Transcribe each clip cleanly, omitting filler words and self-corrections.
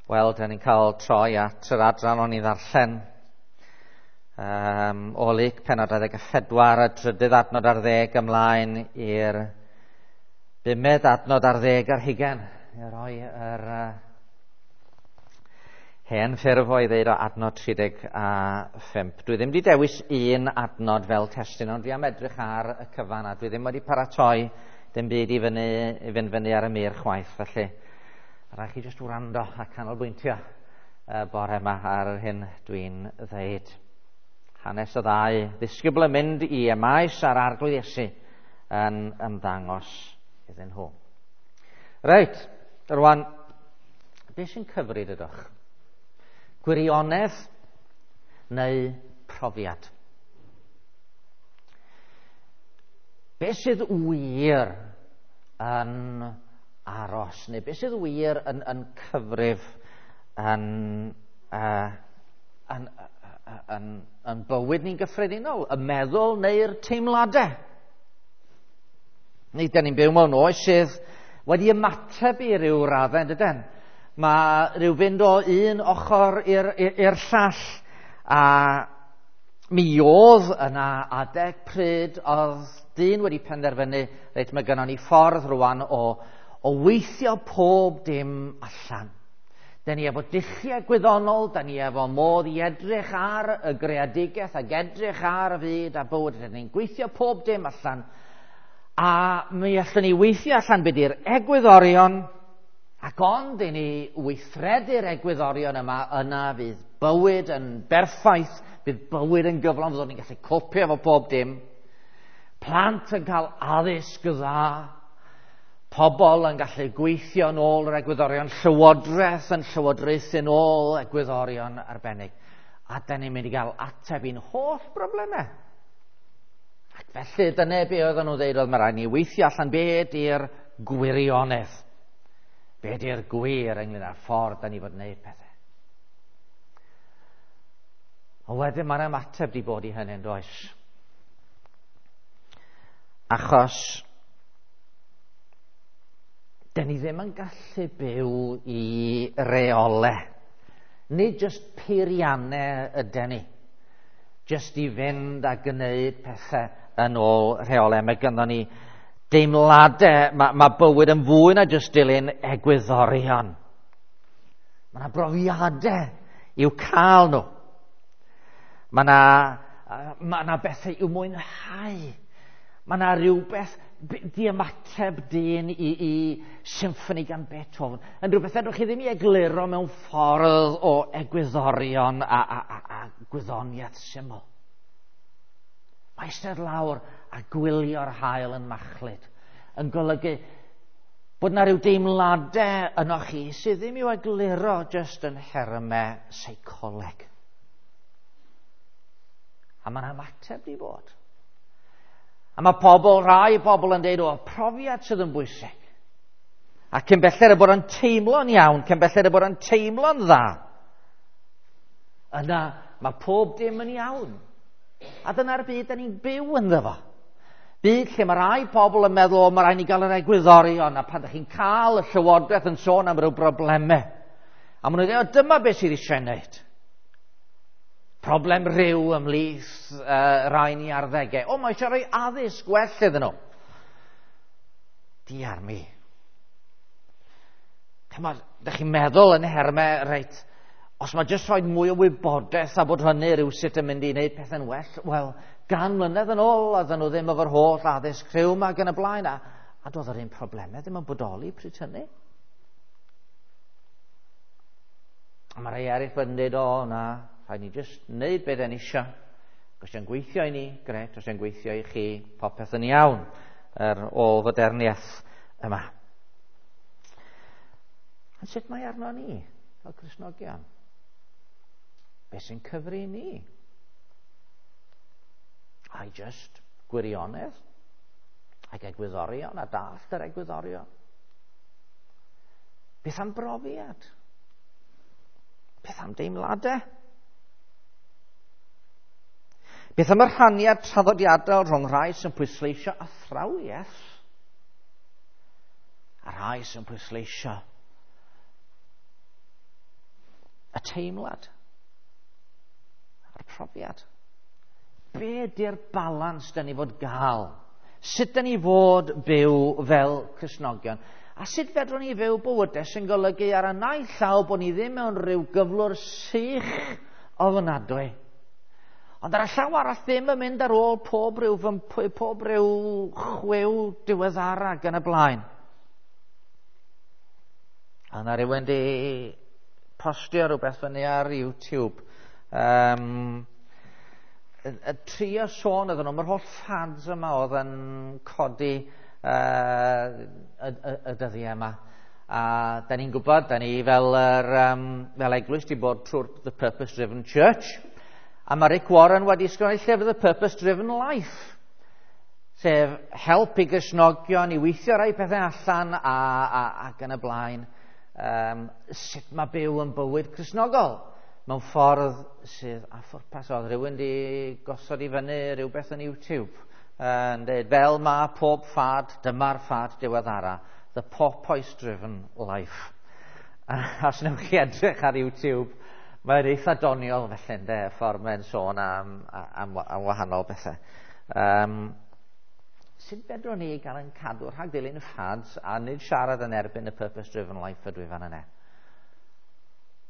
Wel, da ni'n cael troi at yr adran o'n i ddarllen o Luc pennod 24, y 3rd adnod ar 10 ymlaen i'r 5th adnod ar 10 ar hugain. I roi yr hen ffurf o'i ddeud o adnod 35. Dwi ddim wedi dewis un adnod fel testun, ond dwi am edrych ar y cyfan, a dwi ddim wedi paratoi dim byd i fynd fyny ar y mur chwaith, felly rhaid chi jyst wrando a canolbwyntio bore yma ar yr hyn dwi'n ddeud. Hanes y ddau ddisgybl yn mynd i Emaus a'r Arglwydd Iesu yn ymddangos iddyn nhw. Reit, rwan, beth sy'n cyfri dydwch? Gwirionedd neu profiad? Beth sydd wir yn aros, neu beth sydd wir yn cyfrif yn bywyd ni'n gyffredinol, y meddwl neu'r teimladau? Neu dyn ni'n byw mewn oes sydd wedi ymateb i ryw raddau, dydyn? Mae rhyw fynd o un ochr i'r llall, a mi oedd yna adeg pryd oedd dyn wedi penderfynu, reit, mae gynnon ni ffordd rwan o weithio pob dim allan. Da ni efo dulliau gwyddonol, da ni efo modd i edrych ar y greadigaeth ac edrych ar y fyd a bywyd. Da ni'n gweithio pob dim allan, a mi allwn ni weithio allan be di'r egwyddorion, ac ond i ni weithredu'r egwyddorion yma, yna fydd bywyd yn berffaith, bydd bywyd yn gyflawn, fyddwn ni'n gallu copio efo pob dim. Plant yn cael addysg dda, pobl yn gallu gweithio yn ôl yr egwyddorion, llywodraeth yn llywodraethu yn ôl egwyddorion arbennig. A da ni'n mynd i gael ateb i'n holl broblemau. Ac felly dyna be oedden nhw'n dweud, oedd mae rhaid ni weithio allan be di'r gwirionedd, be di'r gwir ynglyn â'r ffordd da ni fod wneud pethau. Ond wedyn mae'r ymateb di bod i hynny, yn does? Achos dyn ni ddim yn gallu byw i reolau. Nid jyst peiriannau ydyn ni. Jyst i fynd a gwneud pethau yn ôl rheolau. Mae gynnon ni deimladau, mae bywyd yn fwy na jyst dilyn egwyddorion. Mae yna brofiadau i'w cael nhw. Mae yna bethau i'w mwynhau. Mae yna rhywbeth di-ymateb dyn i symffoni gan Beethoven yn rhywbeth fedrwch chi ddim i egluro mewn ffordd o egwyddorion a gwyddoniaeth syml. Mae eistedd lawr a gwylio'r haul yn machlud yn golygu bod yna rhyw deimladau yno chi sydd ddim i'w egluro jyst yn nhermau seicoleg. A mae'n ymateb di bod. A mae pobl, rai pobl yn dweud, o, profiad sydd yn bwysig. A cyn belled y bod yn teimlo'n iawn, cyn belled y bod yn teimlo'n dda, yna mae pob dim yn iawn. A dyna'r byd da ni'n byw ynddo fo. Byd lle mae rai pobl yn meddwl, o, mae rhaid ni gael yr egwyddorion, a pan ydych chi'n cael y llywodraeth yn sôn am ryw broblemau, a maen nhw'n dweud, o, dyma beth sydd eisiau wneud. Problem rhyw ymhlith rai ni arddegau. O, mae eisiau rhoi addysg gwell iddyn nhw. Diar mi. Chymod, dych chi'n meddwl yn hermau, reit, os mae jyst rhoi mwy o wybodaeth a bod hynny rhywsut yn mynd i wneud pethau'n well, wel, 100 mlynedd yn ôl, oedden nhw ddim efo'r holl addysg rhyw yma ac yn y blaen, a doedd yr un problemau ddim yn bodoli pryd hynny. A mae rhai eraill wedi dweud, o, na, rhaid ni jyst wneud beth ni eisiau. Os yw'n gweithio i ni, gret, os yw'n gweithio i chi, popeth yn iawn, yr ôl-foderniaeth yma. Ond sut mae arno ni, fel Cristnogion? Be sy'n cyfri ni? Ai jyst gwirionedd, ac egwyddorion, a dallt yr egwyddorion. Beth am brofiad? Beth am deimladau? Beth am y rhaniad traddodiadol rhwng rhai sy'n pwysleisio athrawiaeth a rhai sy'n pwysleisio Y teimlad a'r profiad. Be di'r balans da ni fod gael? Sut da ni fod byw fel Cristnogion? A sut fedrwn ni fyw bywydau sy'n golygu ar y naill llaw bod ni ddim mewn rhyw gyflwr sych ofnadwy, ond ar y llaw arall ddim yn mynd ar ôl pob rhyw pob rhyw chwiw diweddara ac yn y blaen. A yna rhywun di postio rhywbeth fyny ar YouTube. Y trio sôn iddyn nhw, mae'r holl fads yma oedd yn codi y dyddiau yma. A da ni'n gwybod, da ni fel, yr, fel eglwys di bod trwy'r The Purpose Driven Church. A mae Rick Warren wedi ysgrifennu llyfr The Purpose Driven Life, sef help i Gristnogion i weithio rai pethau allan ac yn y blaen. Sut mae byw yn bywyd Cristnogol mewn ffordd sydd â phwrpas. Oedd rhywun di gosod i fyny rhywbeth yn YouTube yn dweud, fel mae pob ffad, dyma'r ffad diweddara, The Porpoise Driven Life. A os wnewch chi edrych ar YouTube, mae'n eitha doniol felly, ynde, y ffordd mae'n sôn am wahanol bethau. Sut fedrwn ni gael yn cadw rhag dilyn fads a nid siarad yn erbyn y Purpose Driven Life ydw i fan yna?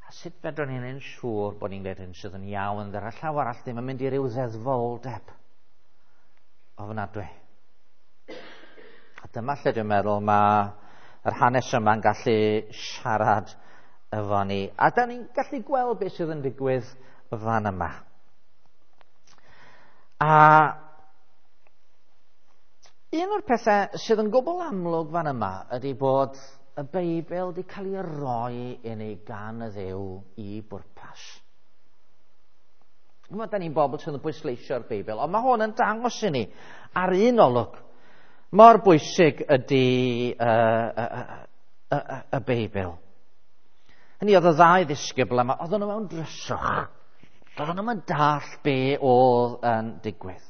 A sut fedrwn ni'n yn siŵr bod ni'n gwneud hyn sydd yn iawn, ar y llaw arall ddim yn mynd i ryw ddeddfoldeb ofnadwy? A dyma lle dwi'n meddwl mae yr hanes yma'n gallu siarad efo ni. A da ni'n gallu gweld beth sydd yn digwydd fan yma. A un o'r pethau sydd yn gwbl amlwg fan yma ydy bod y Beibl wedi cael ei roi i ni gan y Dduw i bwrpas. Mae da ni'n bobl sydd yn bwysleisio'r Beibl, ond mae hwn yn dangos i ni ar un olwg mor bwysig ydy y Beibl. Hynny oedd y ddau ddisgybl yma, oedden nhw mewn dryswch. Oedden nhw'n dall be oedd yn digwydd.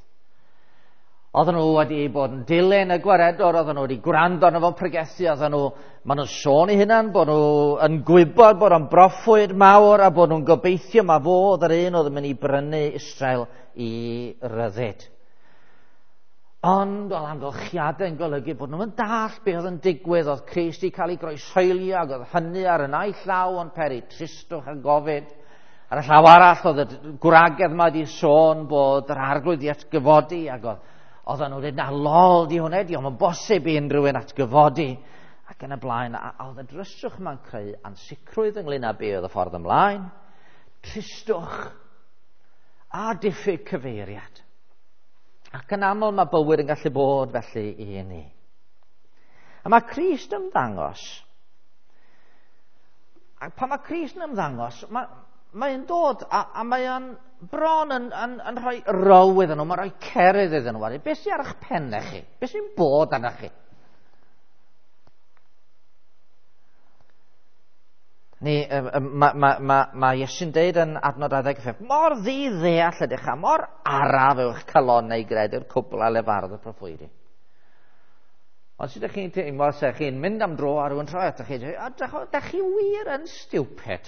Oedden nhw wedi bod yn dilyn y gwaredwr, oedden nhw wedi gwrando arno fo'n pregethu, oedden nhw, maen nhw'n sôn i hunan bod nhw yn gwybod bod o'n broffwyd mawr a bod nhw'n gobeithio ma fo oedd yr un oedd yn mynd i brynu Israel i ryddid. Ond oedd amgylchiadau yn golygu bod nhw'n dall be oedd yn digwydd, oedd Crist wedi cael ei groeshoelio ac oedd hynny ar y naill llaw yn peri tristwch a gofid. Ar y llaw arall oedd y gwragedd yma wedi sôn bod yr arglwydd i atgyfodi ac oedden nhw'n dweud, na lol di hwnna, di o'm yn bosib i unrhyw un atgyfodi. Ac yn y blaen, a oedd y dryswch yma'n creu ansicrwydd ynglyn â be oedd y ffordd ymlaen, tristwch a diffyg cyfeiriad. Ac yn aml mae bywyd yn gallu bod felly i ni. A mae Crist yn ymddangos. A pan mae Crist yn ymddangos, mae'n dod a mae'n bron yn rhoi row iddyn nhw, mae'n rhoi cerydd iddyn nhw. Beth sy'n ar eich pennau chi? Beth sy'n bod arnoch chi? Ni, mae Iesu'n deud yn adnod 25, mor ddi-ddeall ydych a mor araf yw'ch calonnau i gredu'r cwbl a lefarodd y proffwydi. Ond sut ydych chi'n teimlo, se chi'n mynd am dro a rhywun troi atoch chi, da chi wir yn stupid.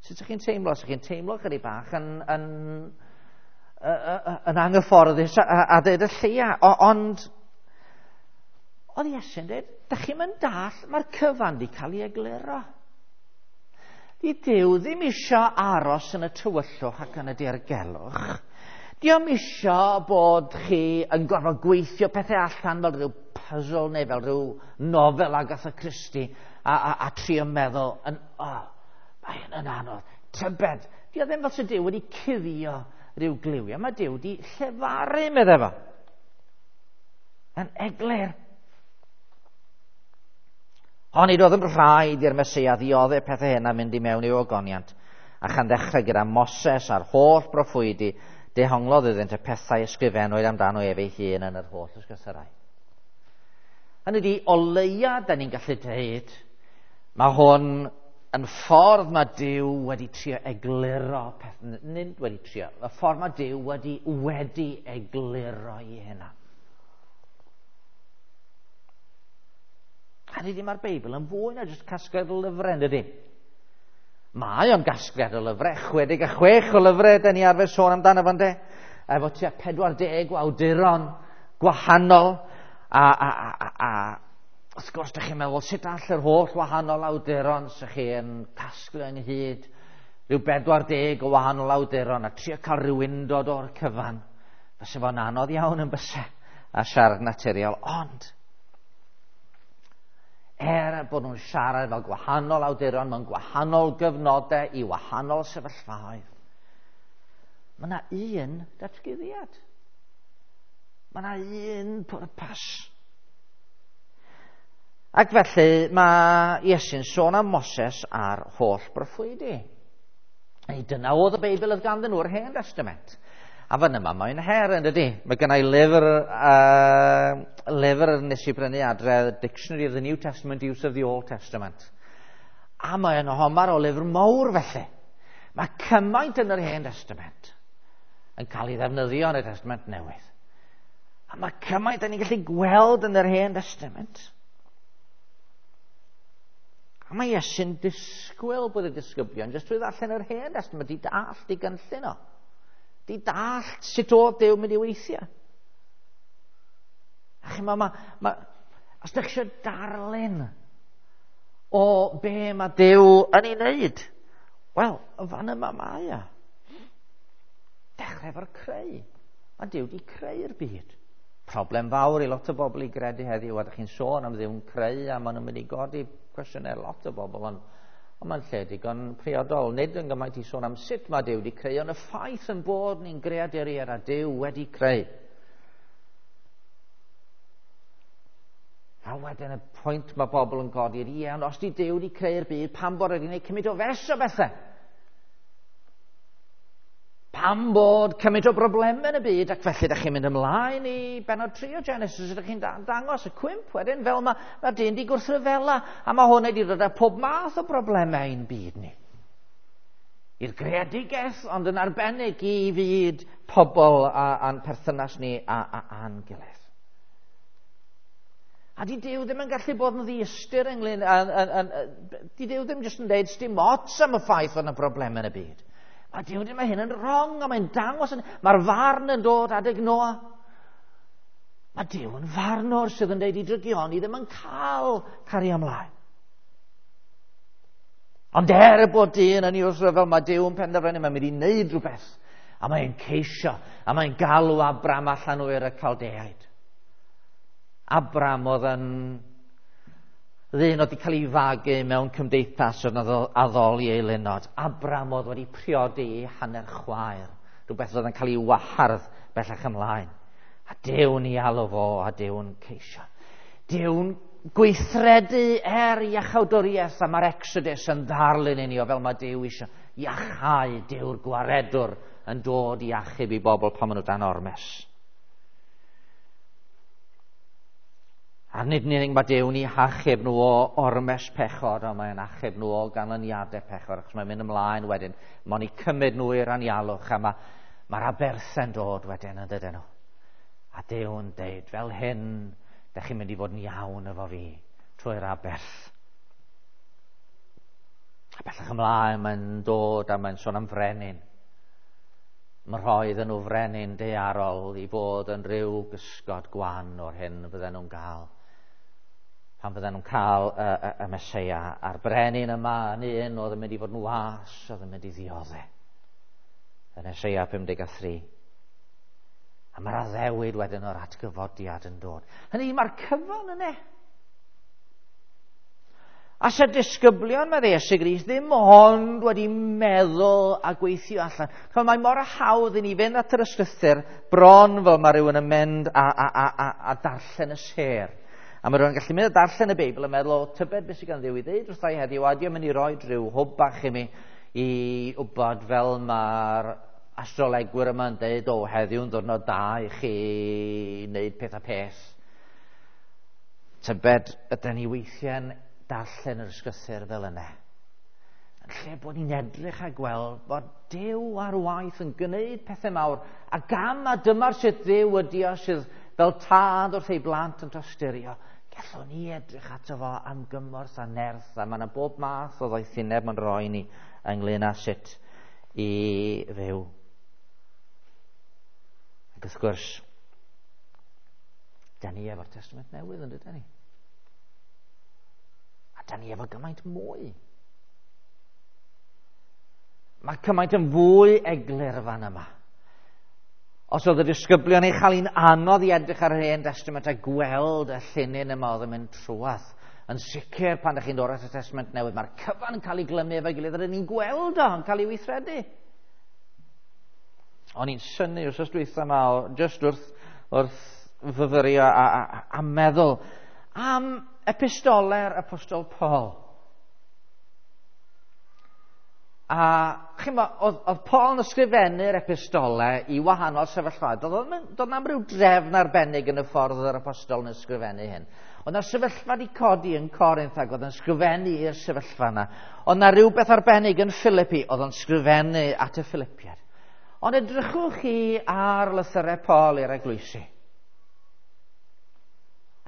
Sut ydych chi'n teimlo? Sut chi'n teimlo chydig bach yn anghyfforddus a dweud y lleia, ond oedd Iesu'n dweud, da chi'n mynd dall, mae'r cyfan di cael ei egluro. Di Duw ddim isio aros yn y tywyllwch ac yn y dirgelwch. Dio'm isio bod chi yn gorfod gweithio pethau allan fel rhyw puzzle neu fel rhyw nofel Agatha Christie a trio meddwl, mae hyn yn anodd. Tybed, dio ddim fel sy'n Duw wedi cuddio rhyw gliwiau. Mae Duw wedi llefaru, meddai fo. Yn eglur. Ond nid oedd yn rhaid i'r Meseia ddioddef pethau hyn a mynd i mewn i'w ogoniant, a chan ddechrau gyda Moses a'r holl broffwydi, dehonglodd iddynt y pethau ysgrifennwyd amdano ef ei hun yn yr holl ysgrythurau. Hynny ydi, o leia, da ni'n gallu dweud, mae hwn yn ffordd mae Duw wedi trio egluro peth, nid wedi trio, y ffordd mae Duw wedi egluro i hynna. Hynny ydi, mae'r Beibl yn fwy na jyst casgliad lyfrau, ydy? Mae o'n gasgliad o lyfrau, 66 o lyfrau, da ni arfer sôn amdano fo'n de, efo tua 40 o awduron gwahanol, a wrth gwrs, da chi'n meddwl, sut all yr holl wahanol awduron sy'ch chi yn casglu ynghyd, rhyw 40 o wahanol awduron, a trio cael rhyw undod o'r cyfan. Fyse fo'n anodd iawn yn byse a siarad naturiol, ond er bod nhw'n siarad fel gwahanol awduron mewn gwahanol gyfnodau i wahanol sefyllfaoedd, mae yna un datguddiad. Mae yna un pwrpas. Ac felly mae Iesu'n sôn am Moses a'r holl broffwydi. Ei, dyna oedd y Beibl oedd ganddyn nhw'r Hen Testament. A fan yma mae'n her yn dydy. Mae gennau lyfr nes i brynu adre, Dictionary of the New Testament, Use of the Old Testament. A mae'n homar o lyfr mawr felly. Mae cymaint yn yr Hen Testament yn cael ei ddefnyddio yn y Testament Newydd. A mae cymaint yn ni'n gallu gweld yn yr Hen Testament. A mae Iesu'n disgwyl bod y disgyblion jyst trwy ddarllen yr Hen Testament i dallt i gynllun o. Di dallt sut oedd Duw mynd i weithio. A chi'n meddwl, os ydych chi eisiau darlun o be mae Duw yn ei wneud, wel, y fan yma mae o. Dechrau efo'r creu. Mae Duw wedi creu'r byd. Problem fawr i lot o bobl i gredu heddiw, a ydych chi'n sôn am Dduw'n creu, a maen nhw'n mynd i godi cwestiynau lot o bobl, ond mae'n lle digon priodol. Nid yn gymaint i sôn am sut mae Duw wedi creu, ond y ffaith yn bod ni'n greaduriaid a Duw wedi creu. A wedyn y pwynt mae bobl yn godi ydy, ie, ond os di Duw wedi creu'r byd, pam bod wedi gwneud cymaint o fes o bethau? Pam bod cymaint o broblemau yn y byd, ac felly ydych chi'n mynd ymlaen i bennod 3 o Genesis, ydych chi'n dangos y cwymp wedyn, fel mae dyn di gwrthryfela, a mae hwn wedi dod â pob math o broblemau i'n byd ni. I'r greadigaeth, ond yn arbennig i fyd pobl a'n perthynas ni a'n gilydd. A di Duw ddim yn gallu bod yn ddiystyr ynglyn, di Duw ddim jyst yn dweud sdim ots am y ffaith fod yna broblemau yn y byd. Mae Duw ddim, mae hyn yn wrong, a mae'n dangos, mae'r farn yn dod adeg Noa. Mae Duw yn farnwr sydd yn dweud i drygioni ddim yn cael cario ymlaen. Ond er bod dyn yn ei wrthryfel, mae Duw yn penderfynu, mae'n mynd i wneud rhywbeth. A mae'n ceisio, a mae'n galw Abram allan o Ur y Caldeaid. Abram oedd yn ddyn oedd wedi cael ei fagu mewn cymdeithas oedd yn addoli eilunod. Abram oedd wedi priodi ei hanner chwaer, rhywbeth oedd yn cael ei wahardd bellach ymlaen. A Duw'n ei alw fo, a Duw'n ceisio. Duw'n gweithredu er iachawdwriaeth, a mae'r Exodus yn ddarlun i ni o fel mae Duw eisiau iachau. Duw'r gwaredwr yn dod i achub i bobl pan maen nhw dan ormes. A nid yn unig mae Duw'n eu hachub nhw o ormes pechod, ond mae'n achub nhw o ganlyniadau pechod, achos mae'n mynd ymlaen wedyn. Mae'n eu cymryd nhw i'r anialwch, a mae'r aberthau'n dod wedyn yn dydyn nhw. A Duw'n deud, fel hyn, dych chi'n mynd i fod yn iawn efo fi trwy'r aberth. A bellach ymlaen mae'n dod a mae'n sôn am frenin. Mae rhoi iddyn nhw frenin daearol i fod yn rhyw gysgod gwan o'r hyn fydden nhw'n gael. Pan fydden nhw'n cael y Meseia, a'r brenin yma yn un oedd yn mynd i fod yn was, oedd yn mynd i ddioddef. Yn Eseia 53. A mae'r addewid wedyn o'r atgyfodiad yn dod. Hynny, mae'r cyfan yna. A se disgyblion, mae Iesu Grist, ddim ond wedi meddwl a gweithio allan. Ch'mod, mae mor hawdd i ni fynd at yr ysgrythur bron fel mae rhywun yn mynd a darllen y sêr. A mae rhywun yn gallu mynd a darllen y Beibl a meddwl, o, tybed beth sydd gan Dduw i ddeud wrtha i heddiw, a ydy o'n mynd i roi rhyw hwb bach i mi i wybod fel mae'r astrolegwyr yma'n deud, o, heddiw'n ddiwrnod da i chi wneud peth a peth. Tybed ydyn ni weithiau'n darllen yr ysgrythur fel yna. Yn lle bod ni'n edrych a gweld bod Duw ar waith yn gwneud pethau mawr, a gam a dyma'r sut Dduw ydi o sydd fel tad wrth ei blant yn tosturio. Gallwn ni edrych ato fo am gymorth a nerth, a mae yna bob math o ddoethineb mae'n rhoi ni ynglyn â sut i fyw. Ac wrth gwrs, da ni efo'r Testament Newydd yn dydyn ni. A da ni efo gymaint mwy. Mae cymaint yn fwy eglur fan yma. Os oedd y disgyblion ei chael hi'n anodd i edrych ar yr Hen Testament a gweld y llinyn yma oedd yn mynd trwadd, yn sicr pan ydych chi'n dod at y Testament Newydd, mae'r cyfan yn cael ei glymu efo'i gilydd, rydyn ni'n gweld o yn cael ei weithredu. O'n i'n synnu wrth dwytha yma, just wrth fyfyrio a meddwl am epistole'r Apostol Paul. A chi'n bod, oedd Paul yn ysgrifennu'r epistolau i wahanol sefyllfaoedd. Doedd na'm rhyw drefn arbennig yn y ffordd yr apostol yn ysgrifennu hyn. Oedd 'na sefyllfa wedi codi yn Corinth ac oedd yn ysgrifennu i'r sefyllfa yna. Oedd 'na rhywbeth arbennig yn Philippi, oedd o'n ysgrifennu at y Philippiaid. Ond edrychwch chi ar lythyrau Paul i'r eglwysi.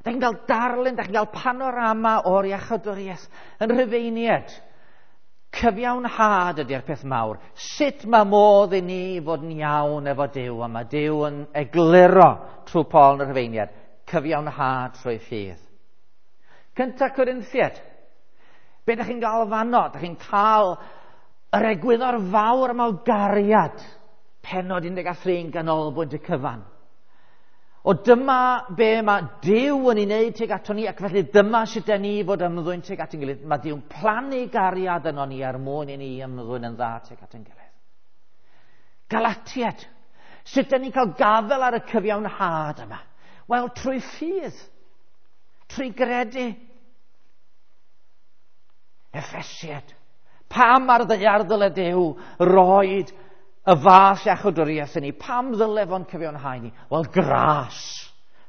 Da chi'n cael darlun, da chi'n cael panorama o'r iachawdwriaeth yn Rhufeiniaid. Cyfiawnhad ydy'r peth mawr. Sut mae modd i ni fod yn iawn efo Duw? A mae Duw yn egluro trwy Paul yn y Rhufeiniaid. Cyfiawnhad trwy ffydd. Cynta Corinthiaid. Be ydych chi'n gael fanno? Ydych chi'n cael yr egwyddor fawr yma o gariad. Pennod 13 yn ganolbwynt y cyfan. O dyma be mae Duw yn ei wneud tuag ato ni, ac felly dyma sut da ni fod ymddwyn tuag at ein gilydd. Mae Duw'n plannu gariad yno ni er mwyn i ni ymddwyn yn dda tuag at ein gilydd. Galatiaid. Sut da ni'n cael gafael ar y cyfiawnhad yma? Wel, trwy ffydd. Trwy gredu. Effesiaid. Pam ar ddaear ddyle Duw roed y fath iachawdwriaeth i ni? Pam ddyle fo'n cyfiawnhau ni? Wel, gras.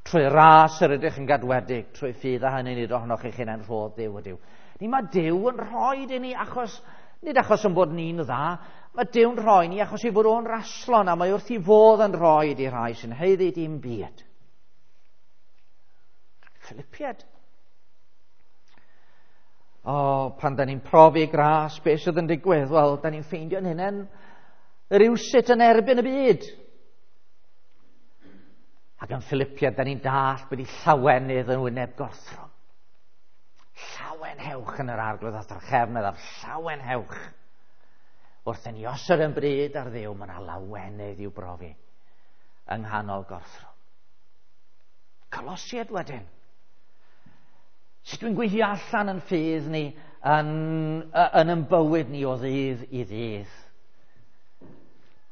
Trwy ras yr ydych yn gadwedig, trwy ffydd a hynny nid ohonoch eich hunain, rhodd Duw ydyw. Ni mae Duw yn rhoi i ni achos, nid achos yn bod ni'n dda, mae Duw'n rhoi ni achos ei fod o'n raslon a mae wrth ei fodd yn rhoi i rhai sy'n haeddu dim byd. Philippiaid. O, pan da ni'n profi gras, beth sydd yn digwydd? Wel, da ni'n ffeindio'n hunain rywsut yn erbyn y byd. Ac yn Philippiaid, da ni'n dallt bod i llawenydd yn wyneb gorthrwm. Llawenhewch yn yr Arglwydd a drachefn, meddaf, llawenhewch. Wrth i ni osod yn bryd ar Dduw, mae yna lawenydd i'w brofi yng nghanol gorthrwm. Colosiaid wedyn. Sut dwi'n gweithio allan yn ffydd ni, yn yn bywyd ni o ddydd i ddydd.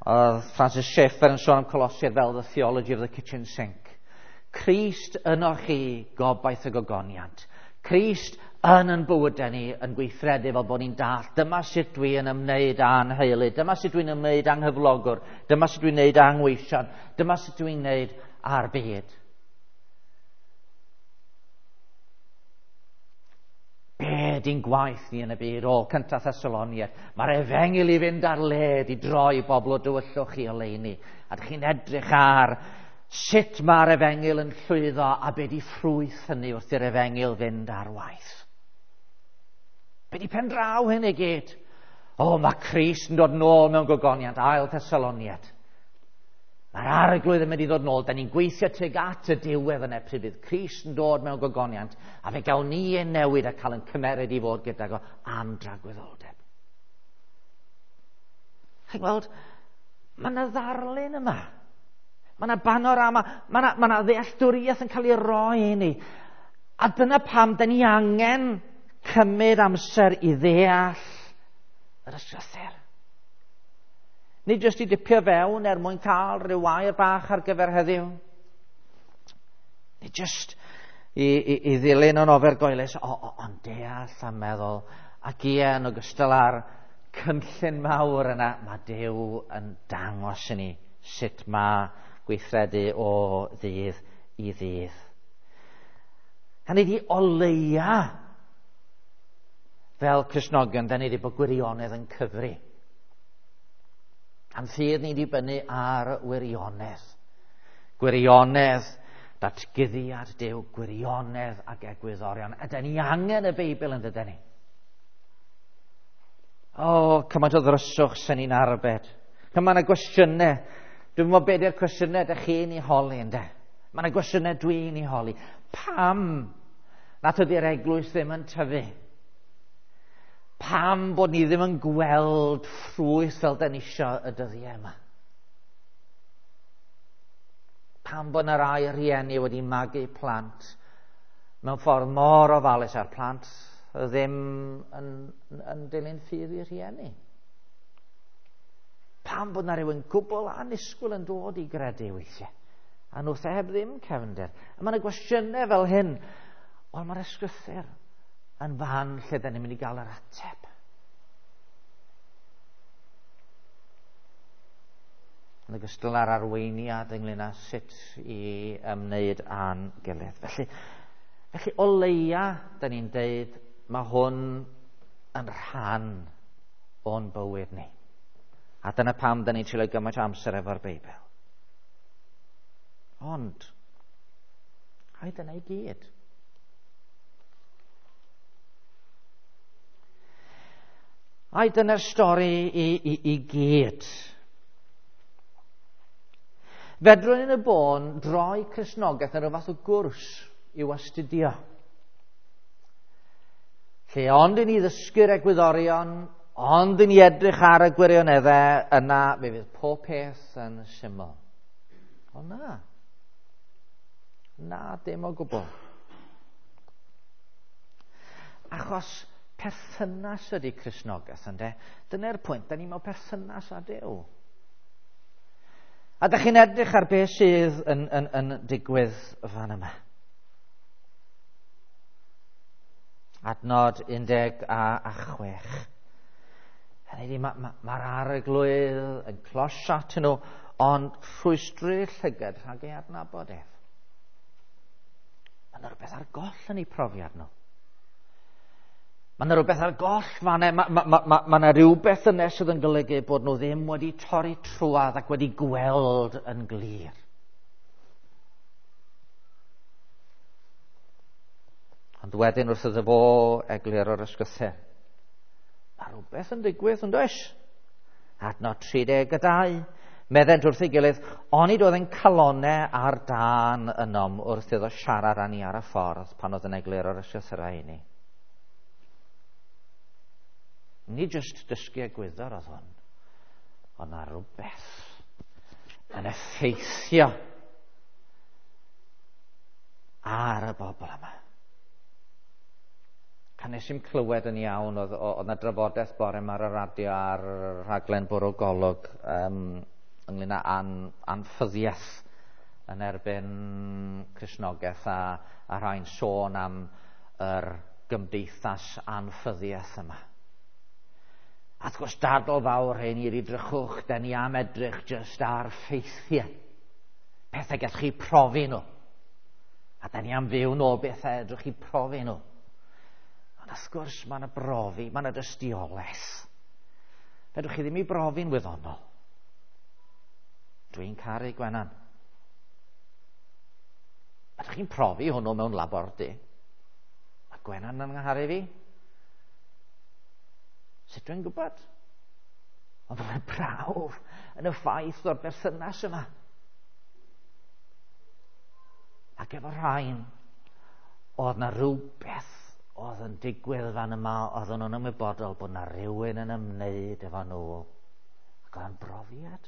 Oedd Francis Schaeffer yn sôn am Colosiaid fel the theology of the kitchen sink. Crist yno chi, gobaith y gogoniant. Crist yn bywydau ni yn gweithredu fel bod ni'n dallt. Dyma sut dwi yn ymwneud â'n heulu. Dyma sut dwi'n ymwneud â'n nghyflogwr. Dyma sut dwi'n ymwneud â'n ngweision. Dyma sut dwi'n ymwneud â'r byd. Be di'n gwaith ni yn y byd? O, cynta Thessaloniaid. Mae'r efengyl i fynd ar led i droi bobl o dywyllwch i oleuni. A dych chi'n edrych ar sut mae'r efengyl yn llwyddo a be di ffrwyth hynny wrth i'r efengyl fynd ar waith. Be di pen draw hyn i gyd? O, mae Crist yn dod nôl mewn gogoniant, ail Thessaloniaid. Mae'r Arglwydd yn mynd i ddod nôl. Da ni'n gweithio tuag at y diwedd yna pryd bydd Crist yn dod mewn gogoniant, a fe gawn ni ein newid a cael ein cymeryd i fod gydag o am dragwyddoldeb. Chi'n gweld, mae yna ddarlun yma. Mae yna banorama, mae yna ddealltwriaeth yn cael ei roi i ni. A dyna pam da ni angen cymryd amser i ddeall yr ysgrythur. Nid jyst i dipio fewn er mwyn cael rhyw air bach ar gyfer heddiw. Nid jyst i ddilyn yn ofergoelus, ond deall a meddwl. Ac ie, yn ogystal â'r cynllun mawr yna, mae Duw yn dangos i ni sut mae gweithredu o ddydd i ddydd. Hynny ydi, o leia, fel Cristnogion, da ni wedi bod gwirionedd yn cyfri. A'n ffydd ni'n dibynnu ar wirionedd. Gwirionedd Datguddiad Duw, gwirionedd ac egwyddorion. A da ni angen y Beibl yn dydyn ni. O, cymaint o ddryswch sy'n ni'n arbed. Cymaint o gwestiynau. Dwi'n meddwl beth yw'r cwestiynau ydych chi'n ei holi, ynde? Mae yna gwestiynau dwi'n ei holi. Pam nad ydy'r eglwys ddim yn tyfu? Pam bod ni ddim yn gweld ffrwyth fel da ni isio y dyddiau yma? Pam bod yna rai rhieni wedi magu plant mewn ffordd mor ofalus a'r plant ddim yn dilyn ffydd i rhieni? Pam bod yna rhywun gwbl annisgwyl yn dod i gredu weithiau? A nhw heb ddim cefndir. A mae yna gwestiynau fel hyn. Ond mae'r ysgrythur yn fan lle da ni'n mynd i gael yr ateb. Yn ogystal â'r arweiniad ynglyn â sut i ymwneud â'n gilydd. Felly o leia, da ni'n deud, mae hwn yn rhan o'n bywyd ni. A dyna pam da ni'n treulio gymaint o amser efo'r Beibl. Ond, ai dyna i gyd. Ai dyna'r stori i gyd. Fedrwn yn y bôn droi Cristnogaeth yn rhyw fath o gwrs i'w astudio. Lle ond i ni ddysgu'r egwyddorion, ond i ni edrych ar y gwirioneddau, yna fe fydd pob peth yn syml. O na. Na, dim o gwbl. Achos perthynas ydy Cristnogaeth, ynde? Dyna'r pwynt, da ni mewn perthynas â Duw. A da chi'n edrych ar beth sydd yn digwydd fan yma. Adnod 16. Hynny ydi, mae'r arglwydd yn closio atyn nhw, ond rhwystru'r llygad rhag ei adnabod ef. Mae yna rhywbeth ar goll yn eu profiad nhw. Mae yna rhywbeth ar goll fan e. Mae yna rhywbeth yna sydd yn golygu bod nhw ddim wedi torri trwadd ac wedi gweld yn glir. Ond wedyn wrth iddo fo eglur o'r ysgrythur, mae rhywbeth yn digwydd yn does? Adnod 32. Meddent wrth ei gilydd, onid oedd ein calonnau ar dân ynom wrth iddo siarad â ni ar y ffordd pan oedd yn eglur o'r ysgrythurau i ni. Nid jyst dysgu egwyddor oedd hwn, ond na rhywbeth yn effeithio ar y bobl yma. Pan nes i'm clywed yn iawn, oedd yna drafodaeth bore yma ar y radio ar rhaglen Bwrw Golwg ynglyn â anffyddiaeth yn erbyn Cristnogaeth a rhai'n sôn am yr gymdeithas anffyddiaeth yma. A wrth gwrs dadl fawr hyn i'r edrychwch, da ni am edrych jyst ar ffeithiau. Pethau gallwch chi profi nhw. A da ni am fyw nôl bethau edrych chi profi nhw. Ond wrth gwrs mae yna brofi, mae yna dystiolaeth. Fedrwch chi ddim i brofi'n wyddonol. Dwi'n caru Gwenan. Ydych chi'n profi hwnnw mewn labordy? Mae Gwenan yn ngharu fi. Sut dwi'n gwybod? Ond mae'n prawf yn y ffaith o'r berthynas yma. Ac efo rhain, oedd na rhywbeth oedd yn digwydd fan yma, oedd nhw'n ymwybodol bod na rhywun yn ymwneud efo nhw. Ac oedd yn brofiad.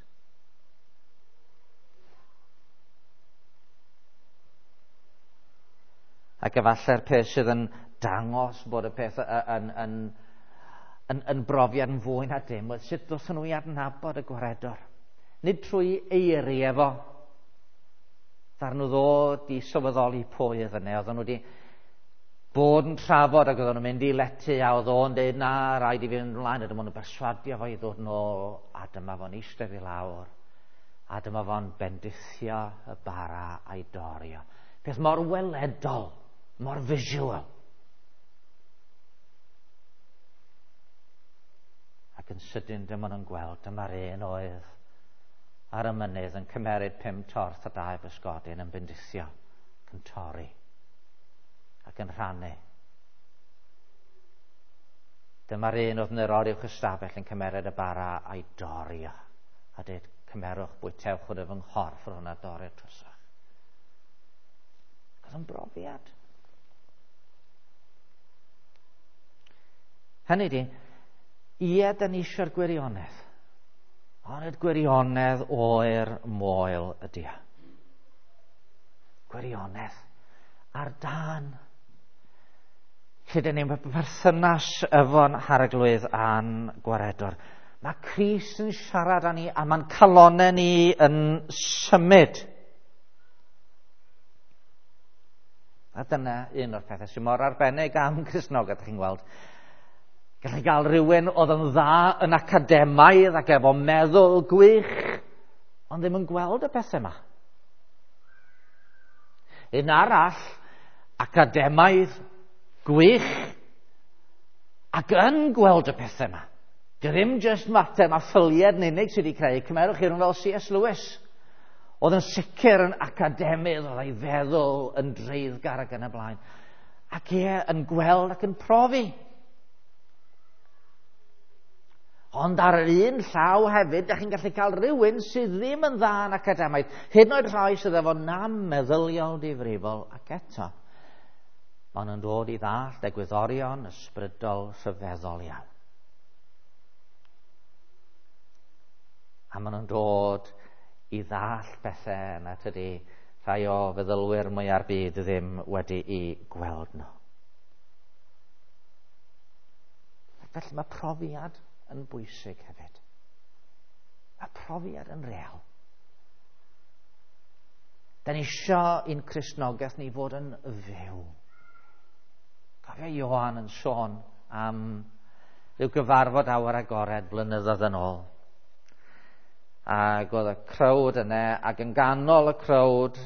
Ac efallai'r peth sydd yn dangos bod y peth yn brofiad yn fwy na dim, oedd sut ddothon nhw i adnabod y gwaredwr. Nid trwy eiriau efo. Ddaru nhw ddod i sylweddoli pwy oedd yna. Oedden nhw wedi bod yn trafod ac oedden nhw'n mynd i lety a oedd o'n dweud na, rhaid i fi fynd ymlaen. A dyma nhw'n berswadio fo i ddod nôl a dyma fo'n eistedd i lawr. A dyma fo'n bendithio y bara a'i dorio. Peth mor weledol, mor visual. Ac yn sydyn dyma nhw'n gweld, dyma'r un oedd ar y mynydd yn cymeryd 5 torth a 2 bysgodyn yn bendithio Ac yn torri. Ac yn rhannu. Dyma'r un oedd yn yr oruwch ystafell yn cymeryd y bara a'i dorri o. A dweud, cymerwch, bwytewch hwn fy nghorff yr hwnna dorri'r trosach. Oedd yn brofiad. Hynny di, ie, da ni eisiau'r gwirionedd. Ond y gwirionedd oer moel ydy o. Gwirionedd ar dan. Lle dyn ni'n perthynas efo'n harglwydd a'n gwaredwr. Mae Crist yn siarad â ni a mae'n calonau ni yn symud. A dyna un o'r pethau sy'n mor arbennig am Cristnogaeth, chi'n gweld. Gallai gael rhywun oedd yn dda yn academaidd ac efo meddwl gwych, ond ddim yn gweld y pethau yma. Un arall, academaidd, gwych, ac yn gweld y pethau yma. Dy ddim jyst mater mae ffyliad yn unig sydd wedi creu. Cymerwch chi rhywun fel C.S. Lewis. Oedd yn sicr yn academydd, oedd ei feddwl yn dreiddgar ac yn y blaen. Ac ie, yn gweld ac yn profi. Ond ar yr un llaw hefyd, da chi'n gallu cael rhywun sydd ddim yn dda yn academaidd, hyd yn oed rhai sydd efo nam meddyliol difrifol, ac eto, maen nhw'n dod i ddallt egwyddorion ysbrydol rhyfeddol iawn. A maen nhw'n dod i ddallt pethau na tydi rhai o feddylwyr mwya'r byd ddim wedi'i gweld nhw. Ac felly mae profiad yn bwysig hefyd. Mae profiad yn real. Da ni isio i'n Cristnogaeth ni fod yn fyw. Cofio Ioan yn sôn am ryw gyfarfod awyr agored blynyddoedd yn ôl. Ac oedd y crowd yna, ac yn ganol y crowd,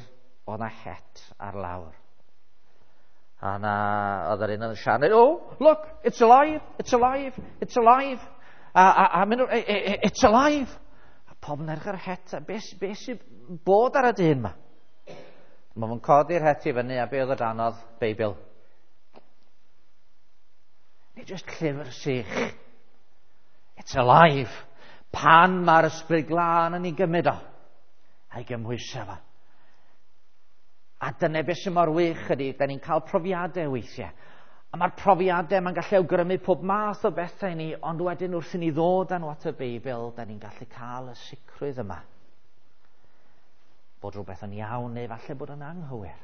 oedd yna het ar lawr. A na, oedd yr un yn siarad, oh, look, it's alive, it's alive, it's alive. A mynd, it's alive. A pob yn edrych ar y het, a beth be sy'n bod ar y dyn yma? Mae fo'n codi'r het i fyny, a be oedd o danodd? Beibl. Nid jyst llyfr sych. It's alive. Pan mae'r ysbryd glân yn ei gymryd o, a'i gymhwyso fo. A dyna beth sy'n mor wych ydy, da ni'n cael profiadau weithiau. A mae'r profiadau mae'n gallu awgrymu pob math o bethau i ni, ond wedyn wrth i ni ddod â nhw at y Beibl, da ni'n gallu cael y sicrwydd yma. Bod rhywbeth yn iawn neu falle bod yn anghywir.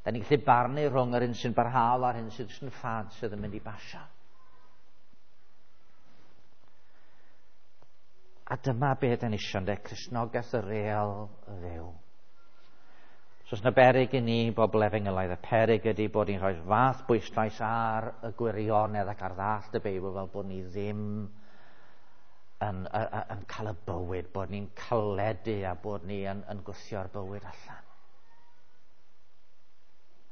Da ni'n gallu barnu rhwng yr un sy'n barhaol a'r un sydd yn ffad sydd yn mynd i basio. A dyma be da ni isio, ynde, Cristnogaeth y real fyw. So os yna beryg i ni, bobl efengylaidd, y peryg ydy bod ni'n rhoi fath bwyslais ar y gwirionedd ac ar ddallt y Beibl fel bod ni ddim yn cael y bywyd, bod ni'n caledu a bod ni yn gwthio'r bywyd allan.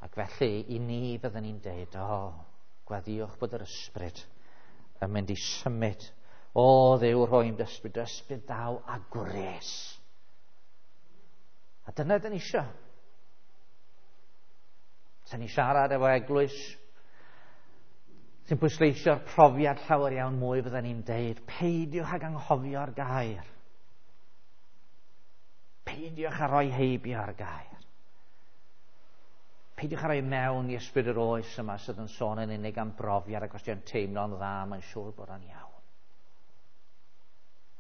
Ac felly, i ni byddwn ni'n deud, o, gweddïwch bod yr ysbryd yn mynd i symud. O, Dduw, rhoi'n ysbryd, ysbryd daw a gwres. A dyna dyn ni isio. Sa'n ni siarad efo eglwys sy'n pwysleisio'r profiad llawer iawn mwy, fydden ni'n deud, peidiwch ag anghofio'r gair. Peidiwch â rhoi heibio ar gair. Peidiwch â rhoi mewn i ysbryd yr oes yma sydd yn sôn yn unig am brofiad ac os ti'n teimlo'n dda, mae'n siŵr bod o'n iawn.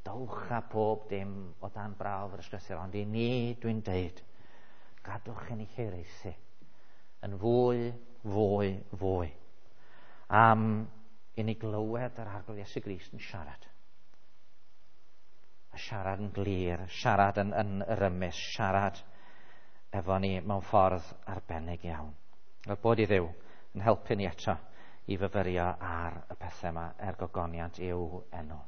Dowch â pob dim o dan brawf yr ysgrythur, ond i ni dwi'n deud, gadwch i ni hiraethu yn fwy, fwy, fwy am i ni glywed yr Arglwydd Iesu Grist yn siarad. A siarad yn glir, siarad yn rymus, siarad efo ni mewn ffordd arbennig iawn. Wel, bod i Dduw yn helpu ni eto i fyfyrio ar y pethau yma er gogoniant i'w enw.